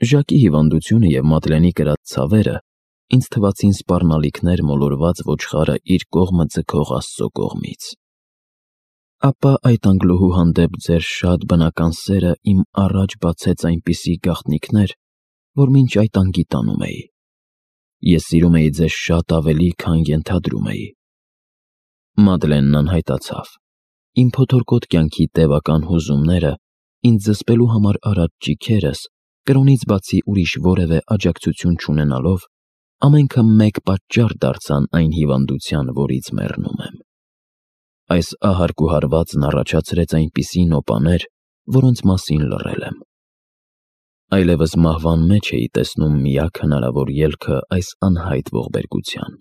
Ժակի հիվանդությունը և Մադլենի կրած ցավերը ինձ թվացին սպառնալիքներ մոլորված ոչխարը իր կողմը ձգող Աստծո կողմից։ Ապա այդ անգլուհու հանդեպ ձեր շատ բնական սերը իմ առաջ բացեց այնպիսի գաղտնիքներ, որ մինչ այդ անգիտանում էի։ Ես սիրում էի ձեզ շատ ավելի, քան ենթադրում էի։ Մադլենն անհայտացավ։ Իմ փոթորկոտ կյանքի տևական հուզումները, ինձ զսպելու համար արած ճիգերս, կրոնից բացի ուրիշ որևէ աջակցություն չունենալով, ամենքը մեկ պատճառ դարձան այն հիվանդության, որից մեռնում եմ։ Այս ահարկ ու հարվածն առաջացրեց այնպիսի նոպաներ, որոնց մասին լռել եմ։ Այլևս մահվան մեջ էի տեսնում միակ հնարավոր ելքը այս անհայտ ողբերգության։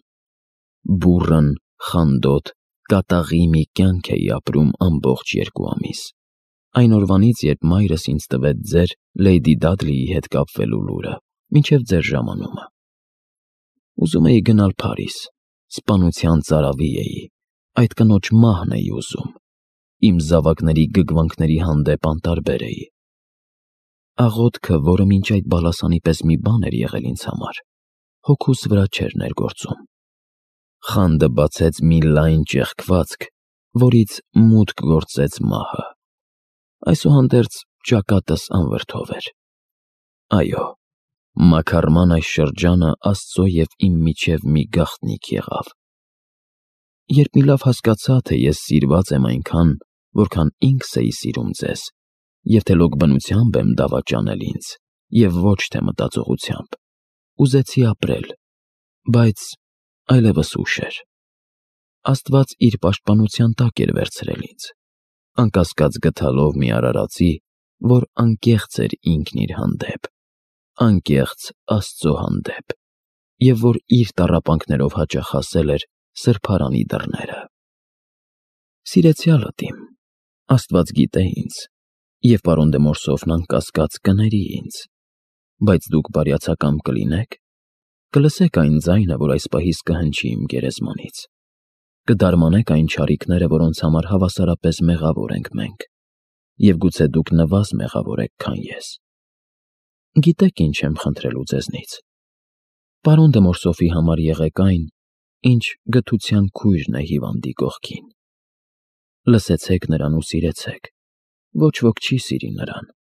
Բուռն, խանդոտ, կատաղի մի կյանք էի ապրում ամբողջ 2 ամիս։ Այն օրվանից, երբ մայրս ինձ տվեց ձեր Լեյդի Դադլիի հետ կապվելու լուրը, մինչև ձեր ժամանումը։ Ուզում էի գնալ Փարիզ, սպանության ծարավի էի, այդ կնոջ մահն էի ուզում, իմ զավակների գգվանքների հանդեպ անտարբեր էի։ Աղոթքը, որը մինչ այդ բալասանի պես մի բան էր եղել ինձ համար, հոգուս վրա չէր ներգործում։ Խանդը բացեց մի լայն ճեղքվածք, որից մուտք գործեց մահը։ Այսուհանդերձ ճակատս անվրդով էր։ Այո, մաքարման այս շրջանը Աստծո և իմ միջև մի գաղտնիք եղավ։ Երբ մի լավ հասկացա, թե ես սիրված եմ այնքան, որքան ինքս էի սիրում ձեզ, և թե լոկ բնությամբ եմ դավաճանել ինձ, և ոչ թե մտածողությամբ, ուզեցի ապրել, բայց այլևս ուշ էր։ Աստված իր պաշտպանության տակ էր վերցրել ինձ, անկասկած գթալով մի արարածի, որ անկեղծ էր ինքն իր հանդեպ, անկեղծ Աստծո հանդեպ, և որ իր տառապանքներով հաճախ ասել էր սրբարանի դռները։ Սիրեցյալդ իմ, Աստված գիտե ինձ, և պարոն դե Մորսոֆն անկասկած կների ինձ, բայց դուք բարյացակամ կլինեք, կլսեք այն ձայնը, որ այս պահից կհնչի իմ գերեզմանից, կդարմանեք այն չարիքները, որոնց համար հավասարապես մեղավոր ենք մենք, և գուցե դուք նվազ մեղավոր եք, քան ես։ Գիտեք ինչ եմ խնդրելու ձեզնից։ Պարոն դե Մորսոֆի համար եղեք այն, ինչ գթության քույրն է հիվանդի կողքին։ Լսեցեք նրան ու սիրեցեք, ոչ ոք չի սիրի նրան։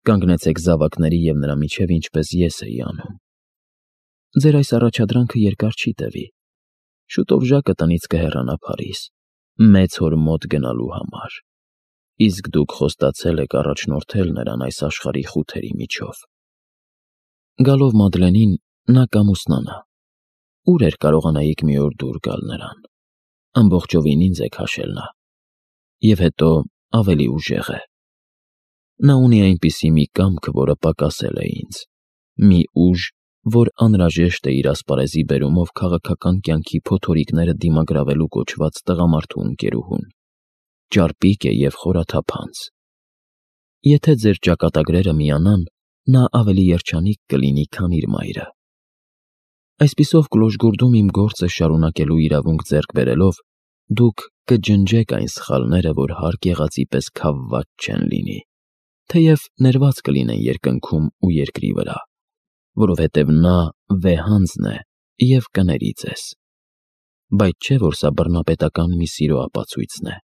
Կանգնեցեք զավակների և նրա միջև, ինչպես ես էի անում։ Ձեր այս առաջադրանքը երկար չի տևի։ Շուտով Ժակը տնից կհեռանա Փարիզ, մեծ հոր մոտ գնալու համար, իսկ դուք խոստացել եք առաջնորդել նրան այս աշխարհի խութերի միջով։ Գալով Մադլենին, նա կամուսնանա։ Ուր էր կարողանայիք մի օր դուր գալ նրան։ Ամբողջովին ինձ է քաշել նա։ Եվ հետո ավելի ուժեղ է։ Նա ունի այնպիսի մի կամք, որը պակասել է ինձ, մի ուժ, որ անհրաժեշտ է իր ասպարեզի բերումով քաղաքական կյանքի փոթորիկները դիմագրավելու կոչված տղամարդու ընկերուհուն։ Ճարպիկ է և խորաթափանց։ Եթե ձեր ճակատագրերը միանան, նա ավելի երջանիկ կլինի, քան իր մայրը։ Այսպիսով գլուխգուրդում իմ գործը շարունակելու իրավունք ձեռք բերելով, դուք կջնջեք այն սխալները, որ հարկ եղածի պես քավված չեն լինի, թեև ներված կլինեն երկնքում ու երկրի վրա, որովհետև նա վեհանձն է և կների ձեզ։ Բայց չէ, որ սա բռնապետական մի սիրո ապացույցն է։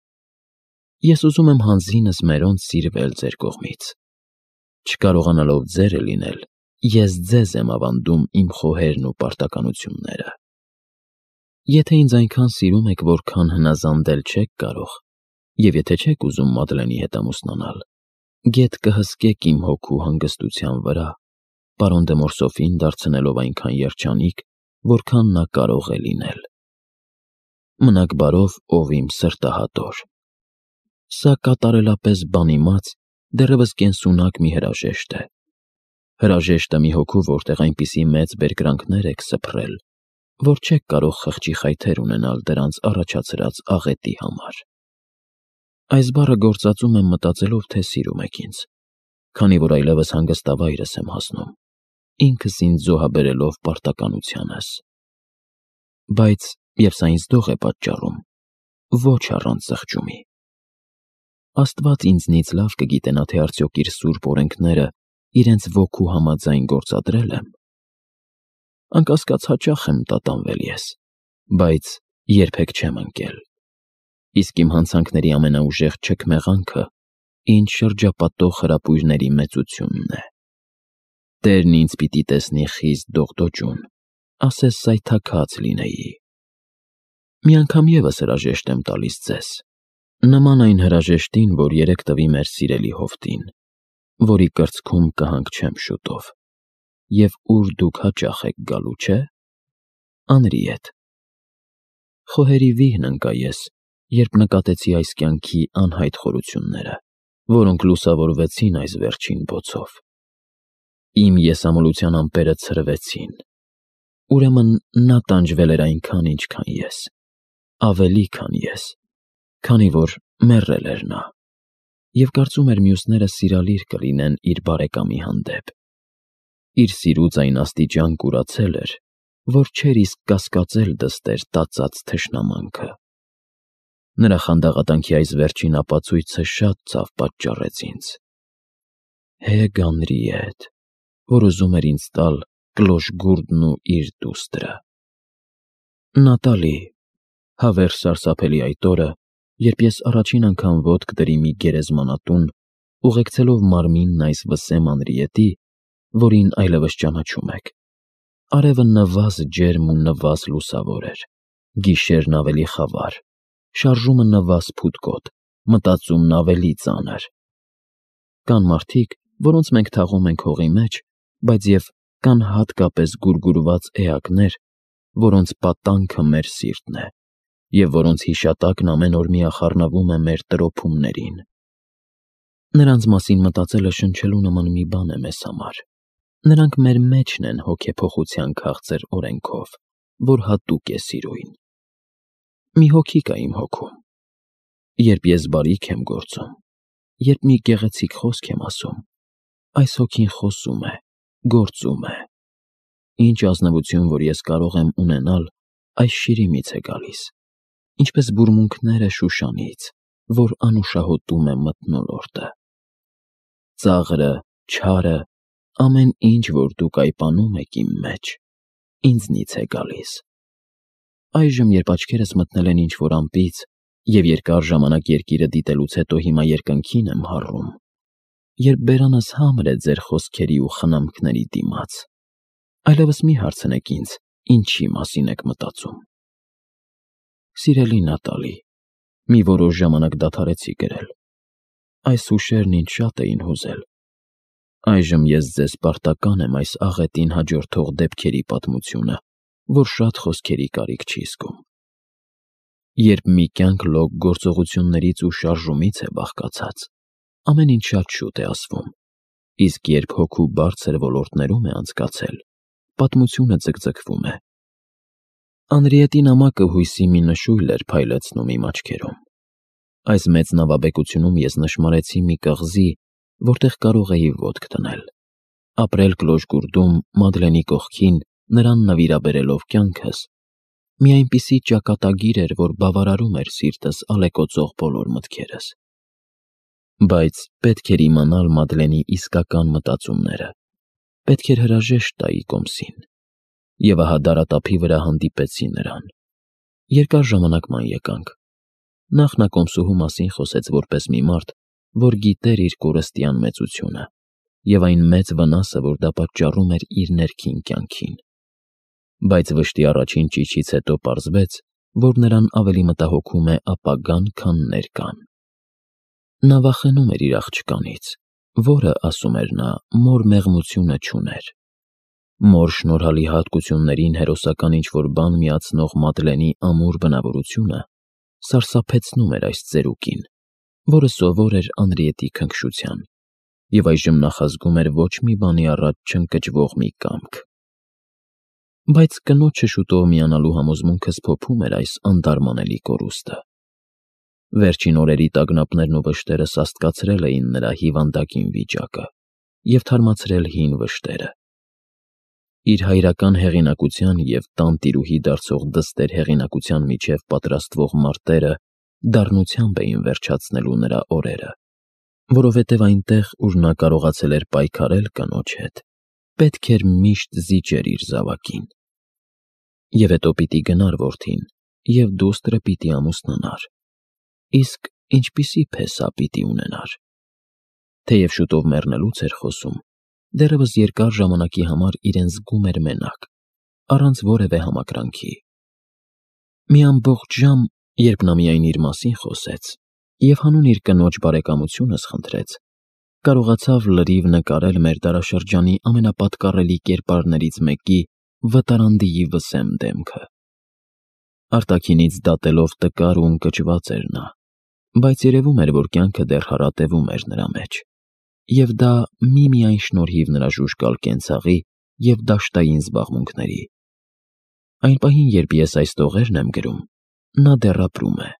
Ես ուզում եմ հանձինս մերոնց սիրվել ձեր կողմից։ Չկարողանալով ձերը լինել, ես ձեզ եմ ավանդում իմ խոհերն ու պարտականությունները։ Եթե ինձ այնքան սիրում եք, որքան հնազանդել չեք կարող, և եթե չեք ուզում Մադլենի հետ ամուսնանալ, գետ կհսկեք իմ հոգու հանգստության վրա, պարոն դե Մորսոֆին դարձնելով այնքան երջանիկ, որքան նա կարող է լինել։ Մնաք բարով, ով իմ սրտահատոր։ Սա կատարելապես բանիմաց, դեռևս կենսունակ մի հրաժեշտ է։ Հրաժեշտը մի հոգու, որտեղ այնպիսի մեծ բերկրանքներ եք սփռել, որ չեք կարող խղճի խայթեր ունենալ դրանց առաջացրած աղետի համար։ Այս բառը գործածում եմ մտածելով, թե սիրում եք ինձ, քանի որ այլևս հանգստավայրս եմ հասնում, ինքս ինձ զոհաբերելով պարտականությանս։ Բայց, և սա ինձ դող է պատճառում, ոչ առանց զղջումի։ Աստված ինձնից լավ կգիտենա, թե արդյոք իր սուրբ օրենքները իրենց ոգու համաձայն գործադրել եմ, անկասկած հաճախ եմ տատանվել ես, բայց երբեք չեմ ընկել, իսկ իմ հանցանքների ամենաուժեղ չքմեղանքը ինձ շրջապատող հրապույրների մեծությունն է։ Տերն ինձ պիտի տեսնի խիստ դողդոջուն, ասես սայթաքած լինեի։ Մի անգամ ևս հրաժեշտ եմ տալիս ձեզ, նման այն հրաժեշտին, որ երեկ տվի մեր սիրելի հովտին, որի կրծքում կհանգչեմ շուտով, և ուր դուք հաճախ եք գալու, չէ՞։ Անրի հետ։ Խոհերի վիհն ընկա ես, երբ նկատեցի այս կյանքի անհայտ խորությունները, որոնք լուսավորվեցին այս վերջին բոցով։ Իմ եսամոլության ամպերը ցրվեցին, ուրեմն նա տանջվել էր այնքան, ինչքան ես, ավելի, քան ես, քանի որ մեռել էր նա, և կարծում էր մյուսները սիրալիր կլինեն իր բարեկամի հանդեպ։ Իր սիրուց այն աստիճան կուրացել էր, որ չէր իսկ կասկածել դստեր տածած թշնամանքը։ Նրա խանդաղատանքի այս վերջին ապացույցը շատ ցավ պատճառեց ինձ։ Հեգ Անրիի հետ, որ ուզում էր ինձ տալ կլոշգուրդն ու իր դուստրը։ Նատալի, հավերժ սարսափելի այդ օրը, երբ ես առաջին անգամ ոտք դրի մի գերեզմանատուն, ուղեկցելով մարմինն այս վսեմ Անրիետի, որին այլևս ճանաչում եք։ Արևը նվազ ջերմ ու նվազ լուսավոր էր, գիշերն ավելի խավար, շարժումը նվազ փութկոտ, մտածումն ավելի ծանր։ Կան մարդիկ, որոնց մենք թաղում ենք հողի մեջ, բայց և կան հատկապես գուրգուրված էակներ, որոնց պատանքը մեր սիրտն է, և որոնց հիշատակն ամեն օր միախառնվում է մեր տրոփումներին։ Նրանց մասին մտածելը շնչելու նման մի բան է մեզ համար։ Նրանք մեր մեջն են հոգեփոխության քաղցր օրենքով, որ հատուկ է սիրույն։ Մի հոգի կա իմ հոգում։ Երբ ես բարիք եմ գործում, երբ մի գեղեցիկ խոսք եմ ասում, այս հոգին խոսում է, գործում է։ Ինչ ազնվություն, որ ես կարող եմ ունենալ, այս շիրիմից է գալիս, ինչպես բուրմունքները Շուշանից, որ անուշահոտում է մթնոլորտը։ Ծաղրը, չարը, ամեն ինչ, որ դուք այպանում եք իմ մեջ, ինձնից է գալիս։ Այժմ, երբ աչքերս մտնել են ինչ-որ ամպից, և երկար ժամանակ երկիրը դիտելուց հետո հիմա երկնքին եմ հառում, երբ բերանս համր է ձեր խոսքերի ու խնամքների դիմաց, այլևս մի հարցնեք ինձ, ինչի մասին եք մտածում։ Սիրելի Նատալի, մի որոշ ժամանակ դադարեցի գրել։ Այս հուշերն ինձ շատ էին հուզել։ Այժմ ես ձեզ պարտական եմ այս աղետին հաջորդող դեպքերի պատմությունը, որ շատ խոսքերի կարիք չի զգում։ Երբ մի կյանք լոկ գործողություններից ու շարժումից է բաղկացած, ամեն ինչ շատ շուտ է ասվում, իսկ երբ հոգու բարձր ոլորտներում է անցկացել, պատմությունը ձգձգվում է։ Անրիետի նամակը հույսի մի նշույլ էր փայլեցնում իմ աչքերում։ Այս մեծ նավաբեկությունում ես նշմարեցի մի կղզի, որտեղ կարող էի ոտք դնել, ապրել կլոշգուրդում Մադլենի կողքին, նրան նվիրաբերելով կյանքս, մի այնպիսի ճակատագիր էր, որ բավարարում էր սիրտս ալեկոծող բոլոր մտքերս։ Բայց պետք էր իմանալ Մադլենի իսկական մտածումները, պետք էր հրաժեշտ տայի կոմսին, և ահա դարատափի վրա հանդիպեցի նրան։ Երկար ժամանակ ման եկանք։ Նախ նա կոմսուհու մասին խոսեց որպես մի մարդ, որ գիտեր իր կորստյան մեծությունը և այն մեծ վնասը, որ դա պատճառում էր իր ներքին կյանքին։ Բայց վշտի առաջին ճիչից հետո պարզվեց, որ նրան ավելի մտահոգում է ապագան, քան ներկան։ Նա վախենում էր իր աղջկանից, որը, ասում էր նա, մոր մեղմությունը չուներ։ Մոր շնորհալի հատկություններին հերոսական ինչ-որ բան միացնող Մադլենի ամուր բնավորությունը սարսափեցնում էր այս ծերուկին, որը սովոր էր Անրիետի քնքշության, և այժմ նախազգում էր ոչ մի բանի առաջ չընկճվող մի կամք։ Բայց կնոջը շուտով միանալու համոզմունքս փոփում էր այս անտարմանելի կորուստը։ Վերջին օրերի տագնապներն ու վշտերը սաստկացրել էին նրա հիվանդագին վիճակը և թարմացրել հին վշտերը։ Իր հայրական հեղինակության և տանտիրուհի դարձող դստեր հեղինակության միջև պատրաստվող մարտերը դառնությամբ էին վերջացնելու նրա օրերը։ որովհետև այնտեղ, ուր նա կարողացել էր պայքարել կնոջ հետ, պետք էր միշտ զիջեր իր զավակին։ Եվ հետո պիտի գնար որդին, և դուստրը պիտի ամուսնանար, իսկ ինչպիսի փեսա պիտի ունենար։ Թեև շուտով մեռնելուց էր խոսում, դեռևս երկար ժամանակի համար իրեն զգում էր մենակ, առանց որևէ համակրանքի։ Մի ամբողջ ժամ, երբ նա միայն իր մասին խոսեց և հանուն իր կնոջ բարեկամությունս խնդրեց, կարողացավ լրիվ նկարել մեր դարաշրջանի ամենապատկառելի կերպարներից մեկի վտարանդիի վսեմ դեմքը։ Արտաքինից դատելով տկար ու ընկճված էր նա, բայց երևում էր, որ կյանքը դեռ հարատևում էր նրա մեջ, և դա միմիայն շնորհիվ նրա ժուժկալ կենցաղի և դաշտային զբաղմունքների։ Այն պահին, երբ ես այս տողերն եմ գրում, նա դեռ ապրում է։